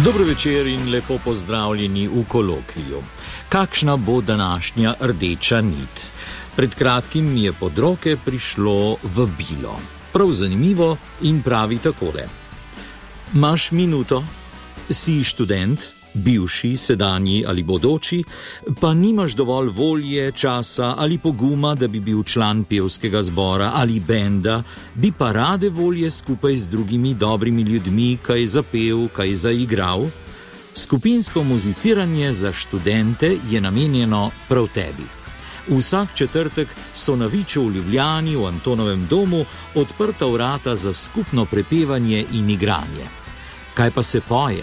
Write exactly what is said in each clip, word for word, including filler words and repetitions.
Dobro večer in lepo pozdravljeni v kolokviju. Kakšna bo današnja rdeča nit? Pred kratkim mi je pod roke prišlo vabilo. Prav zanimivo in pravi takole. Maš minuto? Si študent, bivši, sedanji ali bodoči, pa nimaš dovolj volje, časa ali poguma, da bi bil član pevskega zbora ali benda, bi pa rade volje skupaj z drugimi dobrimi ljudmi kaj zapel, kaj zaigral? Skupinsko muziciranje za študente je namenjeno prav tebi. Vsak četrtek so na Viču v Ljubljani v Antonovem domu odprta vrata za skupno prepevanje in igranje. Kaj pa se poje?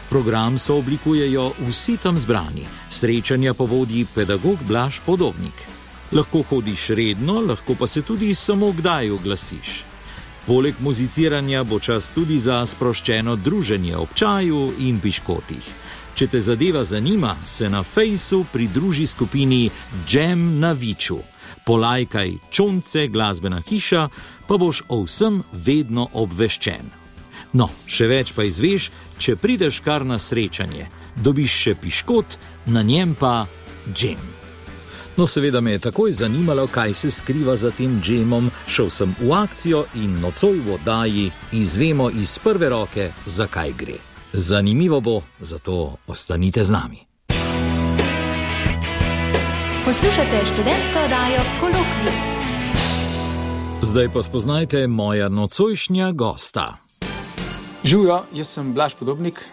Program so oblikujejo vsi tam zbrani. Srečanja povodi pedagog Blaž Podobnik. Lahko hodiš redno, lahko pa se tudi samo kdaj oglasiš. Poleg muziciranja bo čas tudi za sproščeno druženje ob čaju in piškotih. Če te zadeva zanima, se na fejsu pridruži skupini Jam na Viču. Polajkaj Čonce, glasbena hiša, pa boš o vsem vedno obveščen. No, še več pa izveš, če prideš kar na srečanje. Dobiš še piškot, na njem pa džem. No, seveda me je takoj zanimalo, kaj se skriva za tem džemom. Šel sem v akcijo in nocoj v oddaji izvemo iz prve roke, zakaj gre. Zanimivo bo, zato ostanite z nami. Poslušate študentsko oddajo Kolokvij. Zdaj pa spoznajte moja nocojšnja gosta. Živjo, jaz sem Blaž Podobnik.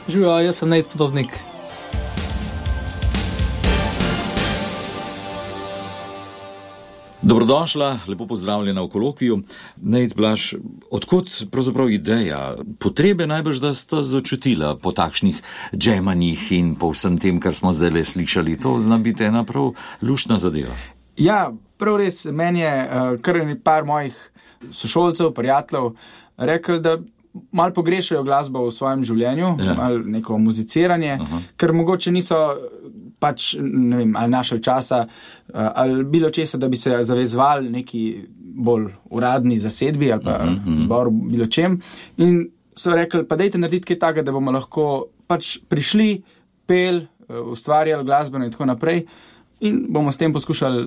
Živjo, jaz sem Nejc Podobnik. Dobrodošla, lepo pozdravljena v kolokviju. Nejc, Blaž, odkot pravzaprav ideja? Potrebe najbrž, da sta začutila po takšnih džemanjih in po vsem tem, kar smo zdaj le slišali. To zna biti ena prav luštna zadeva. Ja, prav res, meni je uh, kar par mojih sošolcev, prijateljev rekel, da malo pogrešajo glasbo v svojem življenju, ja. Malo neko muziciranje, Aha. ker mogoče niso pač, ne vem, ali našli časa, ali bilo česa, da bi se zavezvali neki bolj uradni zasedbi ali pa uh-huh, uh-huh. zboru, bilo čem. In so rekli, pa dajte narediti kaj takega, da bomo lahko pač prišli, pel, ustvarjali glasbeno in tako naprej. In bomo s tem poskušali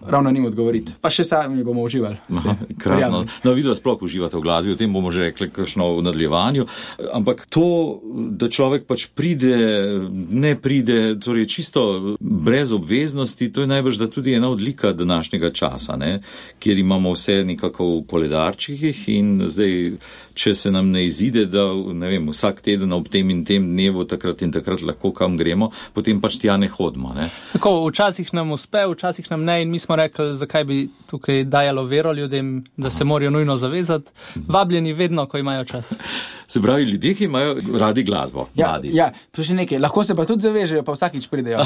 ravno njim odgovoriti. Pa še sami bomo uživali. Aha, krasno. No, vidva sploh uživate v glasbi, o tem bomo že rekli kakšno v nadaljevanju. Ampak to, da človek pač pride, ne pride, torej čisto brez obveznosti, to je najbrž da tudi ena odlika današnjega časa, ne? Kjer imamo vse nekako v koledarčikih in zdaj, če se nam ne izide, da ne vem, vsak teden ob tem in tem dnevu takrat in takrat lahko kam gremo, potem pač tja ne hodimo. Ne? Tako, včasih nam uspe, včasih nam ne in mi smo rekli, zakaj bi tukaj dajalo vero ljudem, da Aha. se morajo nujno zavezati. Vabljeni vedno, ko imajo čas. Se pravi, ljudje, ki imajo radi glasbo. Ja, ja, pa še nekaj. Lahko se pa tudi zavežejo, pa vsakič pridejo.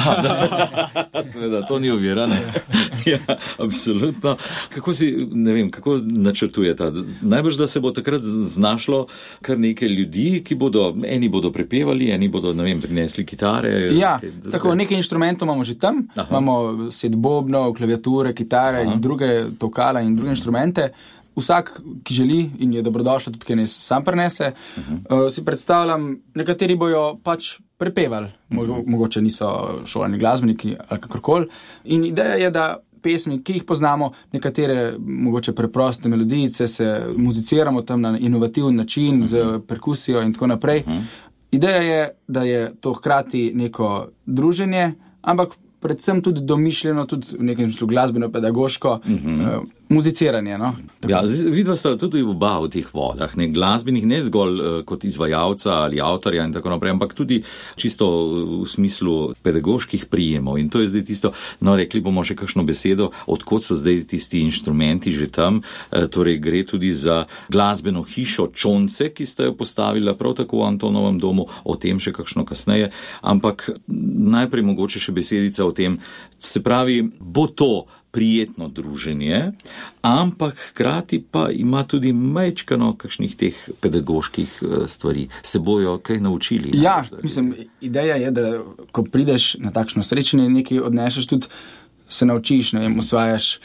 Seveda, to ni ovira, ne? Ja, absolutno. Kako si, ne vem, kako načrtujete? Najbrž, da se bo takrat znašlo kar nekaj ljudi, ki bodo, eni bodo prepevali, eni bodo, ne vem, prinesli kitare. Ja, kaj, tako, nekaj inštrumentov imamo že tam. Aha. Imamo set bobnov, klaviature, kitare Aha. in druge tokala in druge inštrumente. Vsak, ki želi in je dobrodošel, tudi kaj ne sam prenese, uh-huh. uh, si predstavljam, nekateri bojo pač prepevali, uh-huh. mogoče niso šolani glasbeniki ali kakorkoli. In ideja je, da pesmi, ki jih poznamo, nekatere mogoče preproste melodijice, se muziciramo tam na inovativen način, uh-huh. z perkusijo in tako naprej. Uh-huh. Ideja je, da je to hkrati neko druženje, ampak predvsem tudi domišljeno, tudi v nekem smislu glasbeno-pedagoško mm-hmm. uh, muziciranje. No? Ja, vidva sta tudi v oba v teh vodah, ne glasbenih, ne zgolj uh, kot izvajalca ali avtorja in tako naprej, ampak tudi čisto v smislu pedagoških prijemov. In to je zdaj tisto, no rekli bomo še kakšno besedo, odkot so zdaj tisti inštrumenti že tam, uh, torej gre tudi za glasbeno hišo Čonce, ki sta jo postavila prav tako v Antonovem domu, o tem še kakšno kasneje, ampak najprej mogoče še besedica o tem, se pravi, bo to prijetno druženje, ampak hkrati pa ima tudi majčkano kakšnih teh pedagoških stvari. Se bojo kaj naučili? Ja, mislim, ideja je, da ko prideš na takšno srečanje, nekaj odnešeš tudi se naučiš, ne vem, osvajaš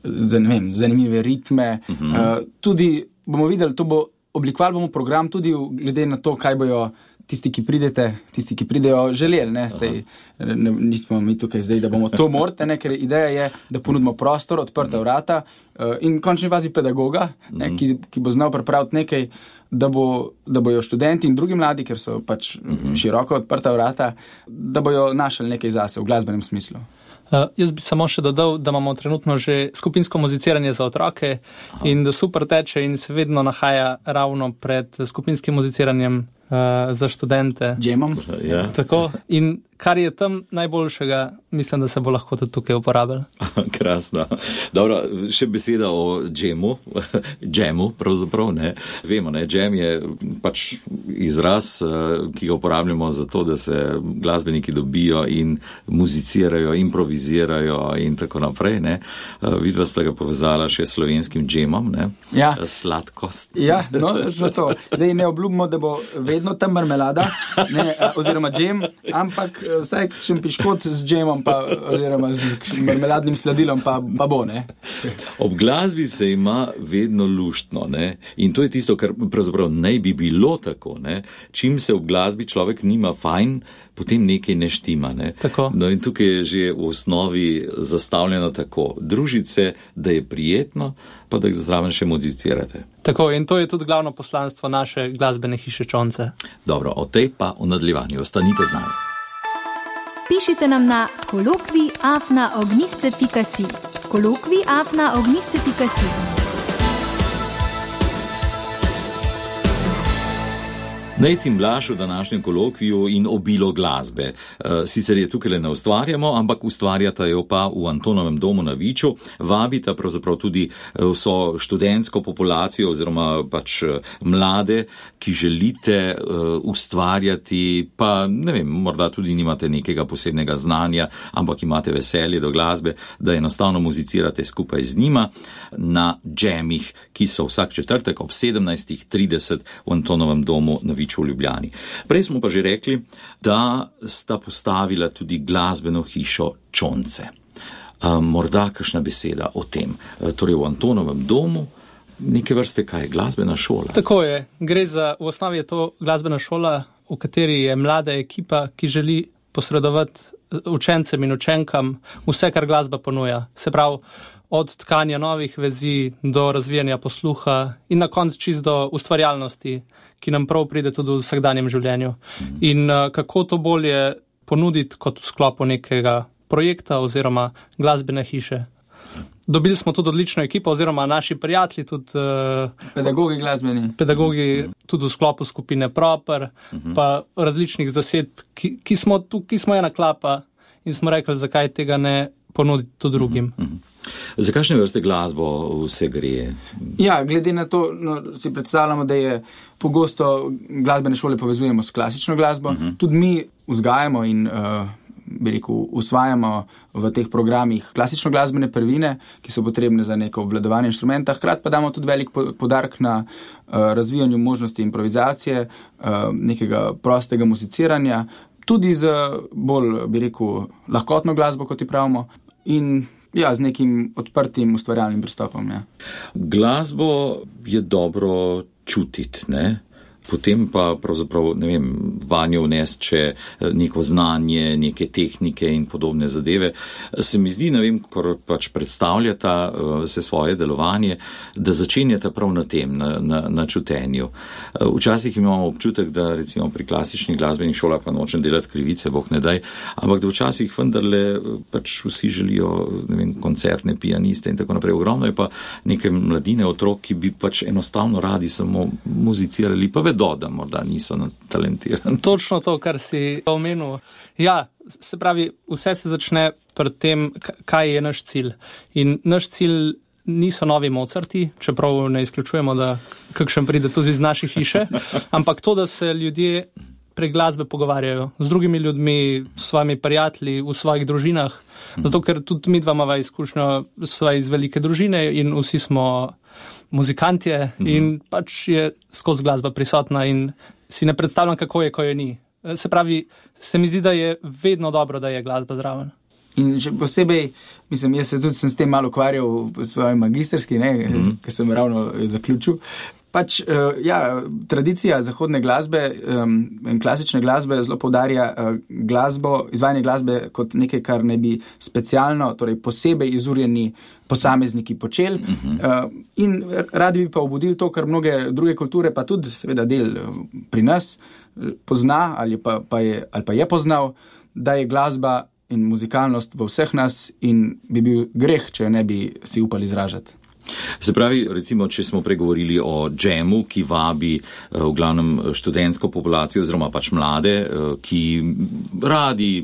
ne vem, zanimive ritme. Uh-huh. Uh, tudi bomo videli, to bo, oblikovali bomo program tudi glede na to, kaj bojo tisti, ki pridete, tisti, ki pridejo, želeli, ne, sej, ne, nismo mi tukaj zdaj, da bomo to morte, ne, ker ideja je, da ponudimo prostor, odprta vrata uh, in v končni fazi pedagoga, ne, ki, ki bo znal pripraviti nekaj, da, bo, da bojo študenti in drugi mladi, ker so pač uh-huh. široko odprta vrata, da bojo našli nekaj zase v glasbenem smislu. Uh, jaz bi samo še dodal, da imamo trenutno že skupinsko muziciranje za otroke Aha. in da super teče in se vedno nahaja ravno pred skupinskim muziciranjem uh, za študente. Džemom. Ja. Tako. In kar je tam najboljšega, mislim, da se bo lahko tudi tukaj uporabili. Krasno. Dobro, še beseda o džemu. Džemu, pravzaprav, ne. Vemo, ne, džem je pač izraz, ki ga uporabljamo za to, da se glasbeniki dobijo in muzicirajo, improvizirajo in tako naprej, ne. Vidva sta ga povezala še s slovenskim džemom, ne. Ja. Sladkost. Ja, no, že to. Zdaj ne obljubimo, da bo vedno tam marmelada, ne, oziroma džem, ampak vsaj šempiškot z džemom pa, oziroma z marmeladnim sladilom pa, pa bo, ne. Ob glasbi se ima vedno luštno, ne. In to je tisto, kar pravzaprav ne bi bilo tako, ne. Čim se ob glasbi človek nima fajn, potem nekaj ne štima, ne. Tako. No in tukaj je že v osnovi zastavljeno tako. Družiti se, da je prijetno, pa da zraven še muzicirate. Tako, in to je tudi glavno poslanstvo naše glasbene hiše Čonce. Dobro, o tej pa v nadaljevanju. Ostanite z nami. Pišite nam na kolokvij afna ognjišče pika si. kolokvij afna ognjišče pika si. Nejc in Blaž v današnjem kolokviju in obilo glasbe. Sicer je tukaj le ne ustvarjamo, ampak ustvarjata jo pa v Antonovem domu na Viču. Vabita pravzaprav tudi vso študentsko populacijo oziroma pač mlade, ki želite ustvarjati, pa ne vem, morda tudi nimate nekega posebnega znanja, ampak imate veselje do glasbe, da enostavno muzicirate skupaj z njima na džemih, ki so vsak četrtek ob sedemnajst trideset v Antonovem domu na Viču v Ljubljani. Prej smo pa že rekli, da sta postavila tudi glasbeno hišo Čonce. Um, morda kakšna beseda o tem. Torej v Antonovem domu neke vrste kaj, glasbena šola. Tako je. Gre za, v osnovi je to glasbena šola, v kateri je mlada ekipa, ki želi posredovati učencem in učenkam vse, kar glasba ponuja. Se pravi, od tkanja novih vezi do razvijanja posluha in na koncu čist do ustvarjalnosti, ki nam prav pride tudi v vsakdanjem življenju. Mm. In uh, kako to bolje ponuditi kot v sklopu nekega projekta oziroma glasbene hiše. Dobili smo tudi odlično ekipo oziroma naši prijatelji, tudi uh, pedagogi glasbeni. Pedagogi tudi v sklopu skupine Proper, mm-hmm. pa različnih zasedb, ki, ki, smo tu, ki smo ena klapa in smo rekli, zakaj tega ne ponuditi tudi drugim. Mm-hmm. Za kakšne vrste glasbo vse gre? Ja, glede na to, no, si predstavljamo, da je pogosto glasbene šole povezujemo s klasično glasbo. Uh-huh. Tudi mi vzgajamo in, uh, bi rekel, usvajamo v teh programih klasično glasbene prvine, ki so potrebne za neko obvladovanje inštrumenta. Hkrati pa damo tudi velik podarek na uh, razvijanju možnosti improvizacije, uh, nekega prostega muziciranja, tudi z bolj, bi rekel, lahkotno glasbo, kot ji pravimo, in ja, z nekim odprtim ustvarjalnim pristopom. Ja. Glasbo je dobro čutiti, ne? Potem pa pravzaprav, ne vem, vanjo vnesti še neko znanje, neke tehnike in podobne zadeve. Se mi zdi, ne vem, ko pač predstavljata se svoje delovanje, da začenjata prav na tem, na, na, na čutenju. Včasih imamo občutek, da recimo pri klasičnih glasbenih šolah, pa nočem delati krivice, bog ne daj, ampak da včasih vendarle pač vsi želijo, ne vem, koncertne pianiste in tako naprej. Ogromno je pa neke mladine otrok, ki bi pač enostavno radi samo muzicirali, pa vedo, da morda niso talentirani. Točno to, kar si omenil. Ja, se pravi, vse se začne pri tem, kaj je naš cilj. In naš cilj niso novi Mozarti, čeprav ne izključujemo, da kakšen pride tudi iz naše hiše, ampak to, da se ljudje prek glasbe pogovarjajo z drugimi ljudmi, s svojimi prijatelji, v svojih družinah. Zato, ker tudi mi dva imava izkušnjo sva iz velike družine in vsi smo muzikantje in pač je skozi glasba prisotna in si ne predstavljam, kako je, ko je ni. Se pravi, se mi zdi, da je vedno dobro, da je glasba zraven. in še posebej, mislim, jaz se tudi sem s tem malo ukvarjal v svoji magisterski, ne, mm-hmm. ker sem ravno zaključil. Pač, uh, ja, tradicija zahodne glasbe um, in klasične glasbe zelo poudarja uh, glasbo, izvajanje glasbe kot nekaj, kar ne bi specialno, torej posebej izurjeni posamezniki počeli. Uh-huh. Uh, in radi bi pa obudili to, kar mnoge druge kulture, pa tudi seveda del pri nas pozna ali pa, pa, je, ali pa je poznal, da je glasba in muzikalnost v vseh nas in bi bil greh, če jo ne bi si upali izražati. Se pravi, recimo, če smo pregovorili o džemu, ki vabi v glavnem študentsko populacijo oziroma pač mlade, ki radi,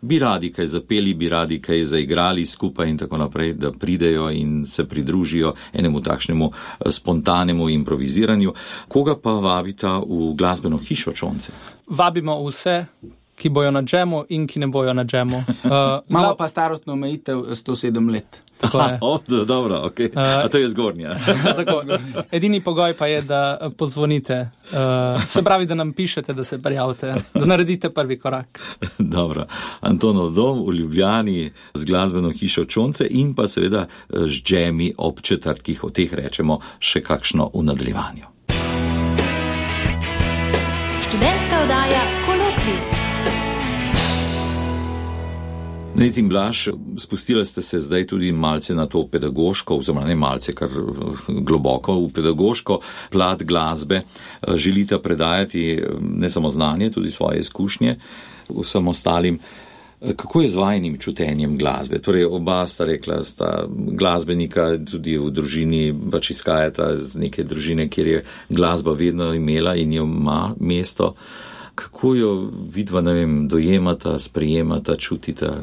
bi radi kaj zapeli, bi radi kaj zaigrali skupaj in tako naprej, da pridejo in se pridružijo enemu takšnemu spontanemu improviziranju. Koga pa vabita v glasbeno hišo Čonce? Vabimo vse, ki bojo na džemu in ki ne bojo na džemu. Uh, Malo pa starostno omejitev sto sedem let. Tako je. Oh, dobro, ok. A to je zgornja. Tako. Edini pogoj pa je, da pozvonite. Uh, se pravi, da nam pišete, da se prijavite, da naredite prvi korak. Dobro. Antonov dom v Ljubljani z glasbeno hišo Čonce in pa seveda z džemi ob četrtkih, o teh rečemo še kakšno v nadaljevanju. Študentska oddaja Kolokvij. Nec in Blaž, spustili ste se zdaj tudi malce na to pedagoško, oziroma ne malce, kar globoko v pedagoško plat glasbe. Želite predajati ne samo znanje, tudi svoje izkušnje vsem ostalim. Kako je z vajinim čutenjem glasbe? Torej, oba sta rekla, sta glasbenika, tudi v družini pač izhajata z neke družine, kjer je glasba vedno imela in jo ima mesto. Kako jo vidva, ne vem, dojemata, sprejemata, čutita?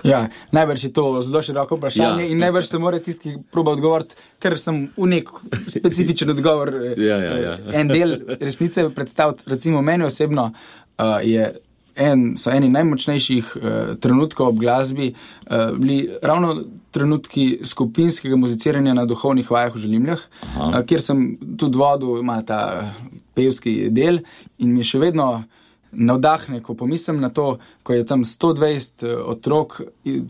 Ja, najbrž je to zelo široko vprašanje ja. In najbrž se mora tisti proba odgovoriti, ker sem v nek specifičen odgovor ja, ja, ja. en del resnice predstaviti. Recimo meni osebno uh, je en, so eni najmočnejših uh, trenutkov ob glasbi uh, bili ravno trenutki skupinskega muziciranja na duhovnih vajah v Želimljah, uh, kjer sem tudi vodil, ima ta pevski del in mi še vedno navdahne, ko pomislim na to, ko je tam sto dvajset otrok,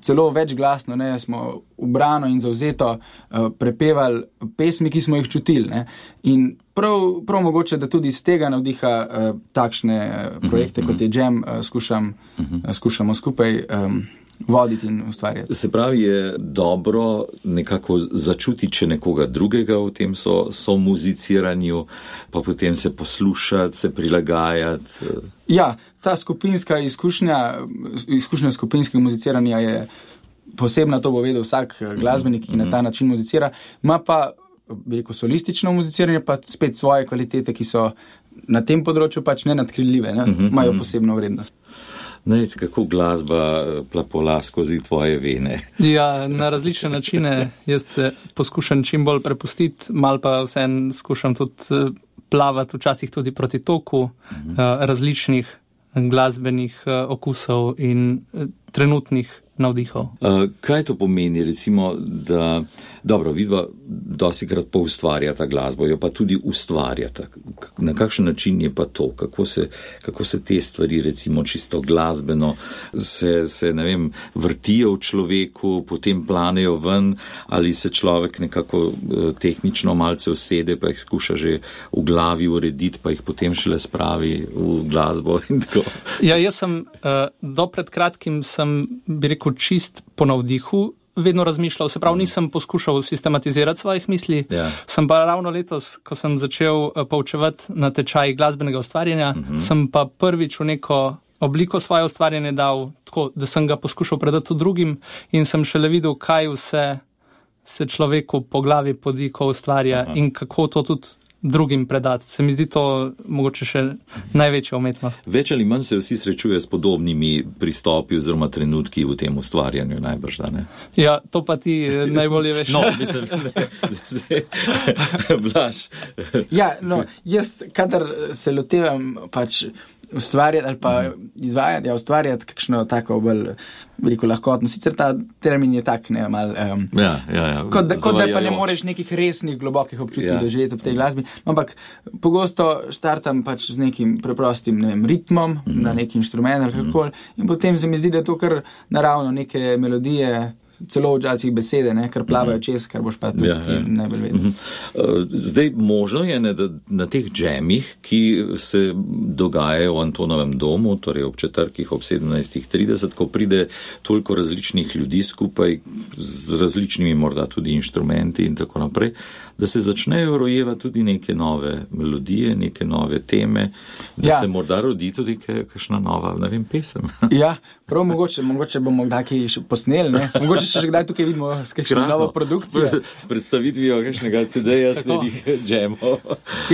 celo več glasno, ne, smo ubrano in zavzeto uh, prepevali pesmi, ki smo jih čutili. Ne. In prav, prav mogoče, da tudi iz tega navdiha uh, takšne projekte, uh-huh, kot je Jam, uh, skušam, uh-huh. uh, skušamo skupaj um, voditi in ustvarjati. Se pravi, je dobro nekako začuti, če nekoga drugega v tem so, so muziciranju, pa potem se poslušati, se prilagajati. Ja, ta skupinska izkušnja, izkušnja skupinskega muziciranja je posebna, to bo vedel vsak glasbenik, ki na ta način muzicira. Ma pa, bi rekel, solistično muziciranje, pa spet svoje kvalitete, ki so na tem področju pač nenadkriljive, ne? Imajo posebno vrednost. Nec, kako glasba plapola skozi tvoje vene? Ja, na različne načine. Jaz se poskušam čim bolj prepustiti, mal pa vsem skušam tudi plavati včasih tudi proti toku uh-huh. različnih glasbenih okusov in trenutnih navdihov. Uh, kaj to pomeni, recimo, da, dobro, vidva dostikrat poustvarjata glasbo, jo pa tudi ustvarjata. Na kakšen način je pa to? Kako se, kako se te stvari, recimo, čisto glasbeno, se, se, ne vem, vrtijo v človeku, potem planejo ven, ali se človek nekako uh, tehnično malce usede, pa jih skuša že v glavi urediti, pa jih potem šele spravi v glasbo in tako. Ja, jaz sem, uh, do pred kratkim sem, bi rekel, čist po navdihu vedno razmišljal, se pravi, nisem poskušal sistematizirati svojih misli, yeah. Sem pa ravno letos, ko sem začel poučevati na tečaj glasbenega ustvarjanja, uh-huh. sem pa prvič v neko obliko svoje ustvarjanje dal tako, da sem ga poskušal predati drugim in sem šele videl, kaj vse se človeku po glavi podi, ko ustvarja uh-huh. in kako to tudi drugim predati. Se mi zdi to mogoče še največja umetnost. Več ali manj se vsi srečuje s podobnimi pristopi oziroma trenutki v tem ustvarjanju, najbrž, da ne? Ja, to pa ti najbolje veš. No, mislim, ne. Blaž. Ja, no, jaz, kadar se lotevam pač ustvarjati ali pa izvajati, ja, ustvarjati kakšno tako bolj veliko lahkotno. Sicer ta termin je tak, ne, mal, um, ja, ja, ja. kot, da, kot da pa ne moreš nekih resnih, globokih občutij ja. doživeti ob tej glasbi. Ampak pogosto štartam pač z nekim preprostim, ne vem, ritmom mm-hmm. na neki inštrument ali kakoli mm-hmm. in potem se mi zdi, da je to kar naravno neke melodije, celo včasih besede, ne, kar plavajo čez, kar boš pa tudi ja, ja. najbolj vedel. Zdaj, možno je, ne, da na teh džemih, ki se dogajajo v Antonovem domu, torej ob četrtkih, ob sedemnajstih trideset, ko pride toliko različnih ljudi skupaj z različnimi morda tudi inštrumenti in tako naprej, da se začnejo rojevati tudi neke nove melodije, neke nove teme, da ja. se morda rodi tudi kakšna nova, ne vem, pesem. Ja, prav mogoče, mogoče bomo kdaj še posneli, ne? Mogoče še kdaj tukaj vidimo s kakšno novo produkcijo. S predstavitvijo kakšnega ce de-ja sledih džemov.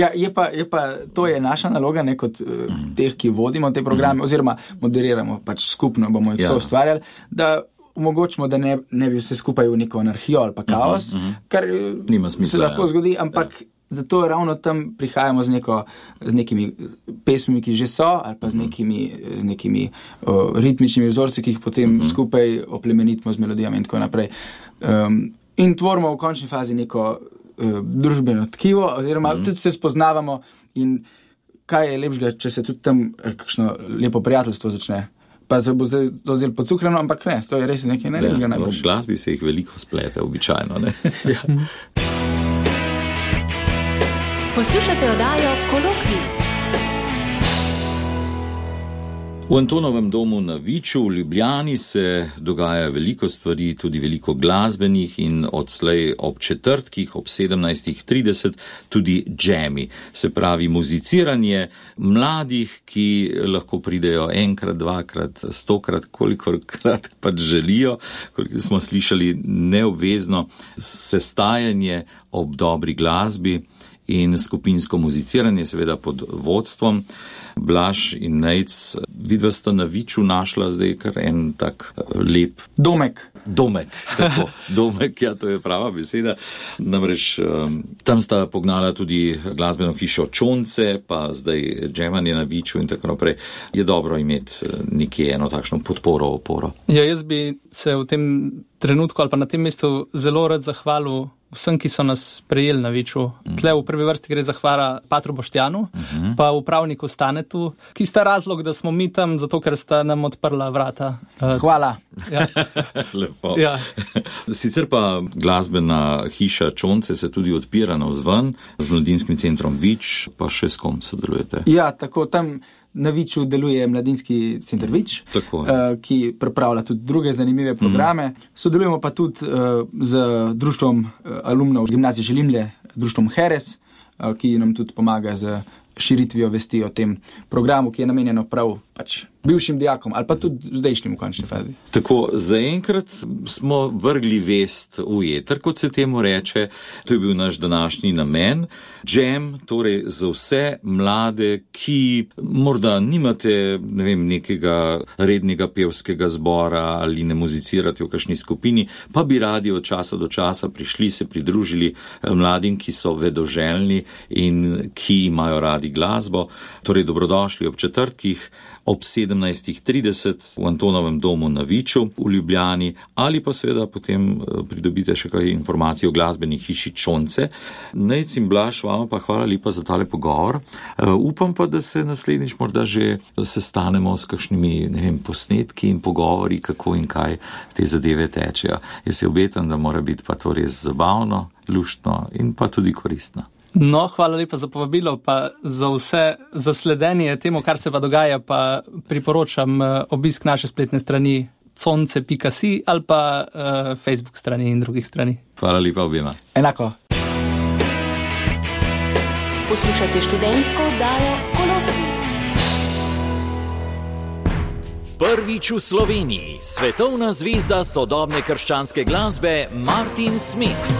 Ja, je pa, je pa, to je naša naloga, ne, kot uh, teh, ki vodimo te programe, mm. oziroma moderiramo, pač skupno bomo jih ja. so ustvarjali, da omogočimo, da ne, ne bi vse skupaj v neko anarhijo ali pa kaos, mm-hmm. kar Nima smisla, se lahko ja. zgodi, ampak ja. zato ravno tam prihajamo z, neko, z nekimi pesmimi, ki že so, ali pa z nekimi, z nekimi uh, ritmičnimi vzorci, ki jih potem mm-hmm. skupaj oplemenitimo z melodijami in tako naprej. Um, in tvorimo v končni fazi neko uh, družbeno tkivo, oziroma mm-hmm. tudi se spoznavamo in kaj je lepšega, če se tudi tam kakšno lepo prijateljstvo začne. Pa se bo zdaj to zelo podcukrano, ampak ne, to je res nekaj najlepšega najbolj. V glasbi se jih veliko splete, običajno, ne? Ja. Poslušate oddajo Kolokvij. V Antonovem domu na Viču v Ljubljani se dogaja veliko stvari, tudi veliko glasbenih in odslej ob četrtkih, ob sedemnajstih trideset tudi džemi. Se pravi muziciranje mladih, ki lahko pridejo enkrat, dvakrat, stokrat, kolikokrat pač želijo, koliko smo slišali, neobvezno sestajanje ob dobri glasbi in skupinsko muziciranje, seveda pod vodstvom. Blaž in Nejc, vidva sta na Viču našla zdaj kar en tak lep domek. Domek, tako. Domek, ja, to je prava beseda. Namreč um, tam sta pognala tudi glasbeno hišo Čonce, pa zdaj džemanje na Viču in tako naprej. Je dobro imeti nekje eno takšno podporo, oporo. Ja, jaz bi se v tem trenutku ali pa na tem mestu zelo rad zahvalil vsem, ki so nas prejeli na Viču. Mm. Tle v prvi vrsti gre zahvala Patru Boštjanu, mm-hmm. pa upravniku Stanetu, ki sta razlog, da smo mi tam, zato ker sta nam odprla vrata. Hvala. Ja. Lepo. Ja. Sicer pa glasbena hiša Čonce se tudi odpira navzven z Mladinskim centrom Vič, pa še s kom sodelujete? Ja, tako tam na Viču deluje Mladinski center Vič, uh, ki pripravlja tudi druge zanimive programe. Mm. Sodelujemo pa tudi uh, z društvom uh, alumnov gimnazije Želimlje, društvom Heres, uh, ki nam tudi pomaga z širitvijo vesti o tem programu, ki je namenjeno prav pač bivšim dijakom ali pa tudi zdajšnjim v končni fazi. Tako, zaenkrat smo vrgli vest v eter, kot se temu reče. To je bil naš današnji namen. Džem, torej za vse mlade, ki morda nimate, ne vem, nekega rednega pevskega zbora ali ne muzicirate v kakšni skupini, pa bi radi od časa do časa prišli, se pridružili mladim, ki so vedoželjni in ki imajo radi glasbo. Torej, dobrodošli ob četrtkih, ob sedemnajstih trideset v Antonovem domu na Viču v Ljubljani, ali pa seveda potem pridobite še kaj informacij o glasbeni hiši Čonce. Nejc in Blaž, vama pa hvala lepa za tale pogovor. Uh, upam pa, da se naslednjič morda že sestanemo s kakšnimi, ne vem, posnetki in pogovori, kako in kaj te zadeve tečejo. Jaz se obetam, da mora biti pa to res zabavno, luštno in pa tudi koristno. No, hvala lepa za povabilo, pa za vse zasledenje temu, kar se pa dogaja, pa priporočam obisk naše spletne strani conce pika si ali pa uh, Facebook strani in drugih strani. Hvala lepa obima. Enako. Poslušajte študentsko oddajo Kolokvij. Prvič v Sloveniji svetovna zvezda sodobne krščanske glasbe Martin Smith.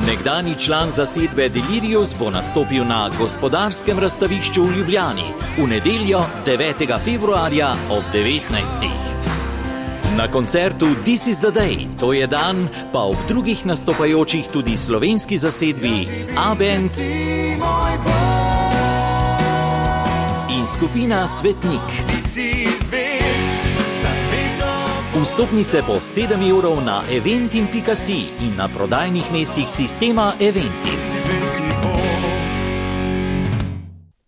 Nekdani član zasedbe Delirious bo nastopil na Gospodarskem razstavišču v Ljubljani v nedeljo devetega februarja ob devetnajstih. Na koncertu This is the Day, to je dan, pa ob drugih nastopajočih tudi slovenski zasedbi A-Band, in skupina Svetnik. Vstopnice po sedem evrov na eventim pika si in na prodajnih mestih sistema Eventi.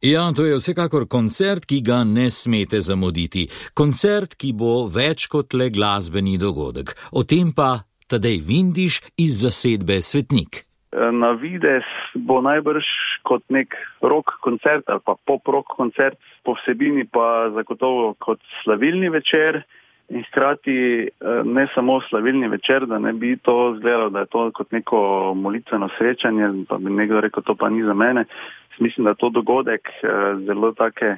Ja, to je vsekakor koncert, ki ga ne smete zamuditi. Koncert, ki bo več kot le glasbeni dogodek. O tem pa Tadej Vindiš iz zasedbe Svetnik. Na videz bo najbrž kot nek rock koncert ali pa pop-rock koncert, po vsebini pa zagotovo kot slavilni večer in hkrati ne samo slavilni večer, da ne bi to izgledalo, da je to kot neko molitveno srečanje, pa bi nekdo rekel, to pa ni za mene. Mislim, da je to dogodek zelo take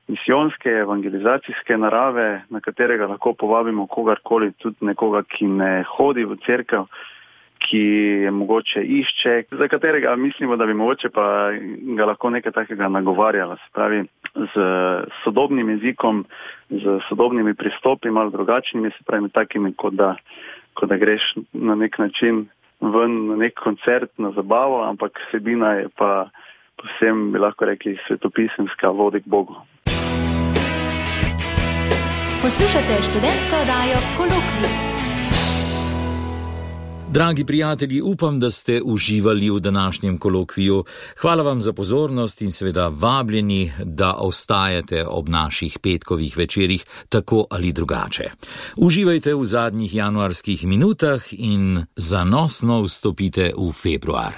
misijonske, evangelizacijske narave, na katerega lahko povabimo kogarkoli, tudi nekoga, ki ne hodi v cerkev, ki je mogoče išče, za katerega mislimo, da bi mogoče pa ga lahko nekaj takega nagovarjala. Se pravi, z sodobnim jezikom, z sodobnimi pristopi, malo drugačnimi, se pravi, takimi, kot da, kot da greš na nek način ven na nek koncert, na zabavo, ampak vsebina je pa povsem, bi lahko rekli, svetopisemska, vodi k Bogu. Poslušate študentsko oddajo Kolokvij. Dragi prijatelji, upam, da ste uživali v današnjem kolokviju. Hvala vam za pozornost in seveda vabljeni, da ostajate ob naših petkovih večerih tako ali drugače. Uživajte v zadnjih januarskih minutah in zanosno vstopite v februar.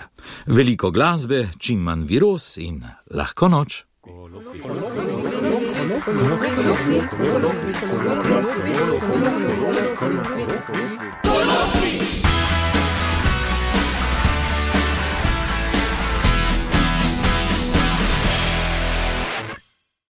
Veliko glasbe, čim manj viroz in lahko noč. Kolokvij, kolokvij, kolokvij, kolokvij, kolokvij, kolokvij, kolokvij, kolokvij, kolokvij, kolokvij.